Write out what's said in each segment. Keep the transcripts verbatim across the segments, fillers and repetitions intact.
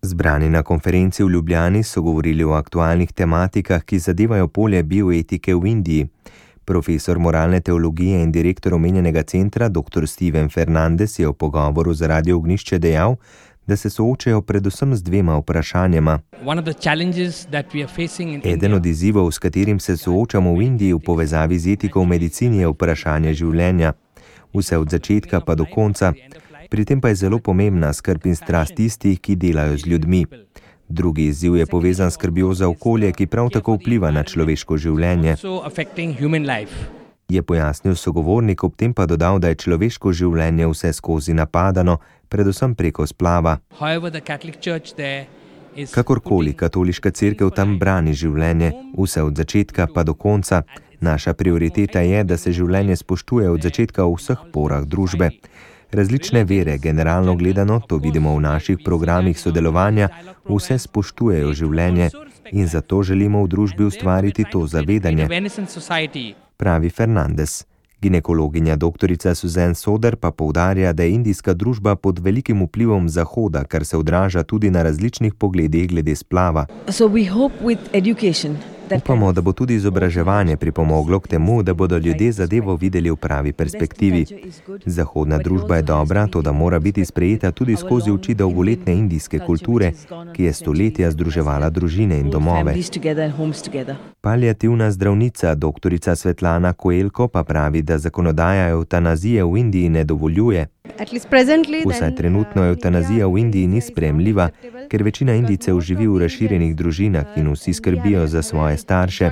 Zbrani na konferenci v Ljubljani so govorili o aktualnih tematikah, ki zadevajo polje bioetike v Indiji. Profesor moralne teologije in direktor omenjenega centra, doktor Steven Fernandes, je v pogovoru za Radio Ognjišče dejal, da se soočajo predvsem z dvema vprašanjema. Eden od izzivov, s katerim se soočamo v Indiji v povezavi z etiko v medicini, je vprašanje življenja. Vse od začetka pa do konca. Pri tem pa je zelo pomembna skrb in strast tistih, ki delajo z ljudmi. Drugi izziv je povezan s skrbjo za okolje, ki prav tako vpliva na človeško življenje. Je pojasnil sogovornik, ob tem pa dodal, da je človeško življenje vse skozi napadano, predvsem preko splava. Kakorkoli, katoliška cerkev tam brani življenje, vse od začetka pa do konca. Naša prioriteta je, da se življenje spoštuje od začetka v vseh porah družbe. Različne vere, generalno gledano, to vidimo v naših programih sodelovanja, vse spoštujejo življenje in zato želimo v družbi ustvariti to zavedanje, pravi Fernandes. Ginekologinja doktorica Suzanne Soder pa poudarja, da je indijska družba pod velikim vplivom Zahoda, kar se odraža tudi na različnih pogledih glede splava. Upamo, da bo tudi izobraževanje pripomoglo k temu, da bodo ljudje zadevo videli v pravi perspektivi. Zahodna družba je dobra, toda mora biti sprejeta tudi skozi oči dolgoletne indijske kulture, ki je stoletja združevala družine in domove. Paliativna zdravnica doktorica Svetlana Koelko pa pravi, da zakonodaja evtanazije v Indiji ne dovoljuje. Vsaj trenutno evtanazija v Indiji ni sprejemljiva, ker večina Indijcev živi v razširjenih družinah in vsi skrbijo za svoje starše.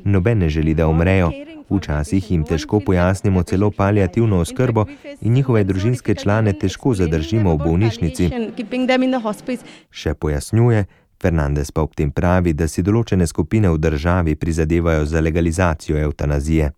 Noben ne želi, da umrejo. Včasih jim težko pojasnimo celo paliativno oskrbo in njihove družinske člane težko zadržimo v bolnišnici. Še pojasnjuje, Fernandes pa ob tem pravi, da si določene skupine v državi prizadevajo za legalizacijo evtanazije.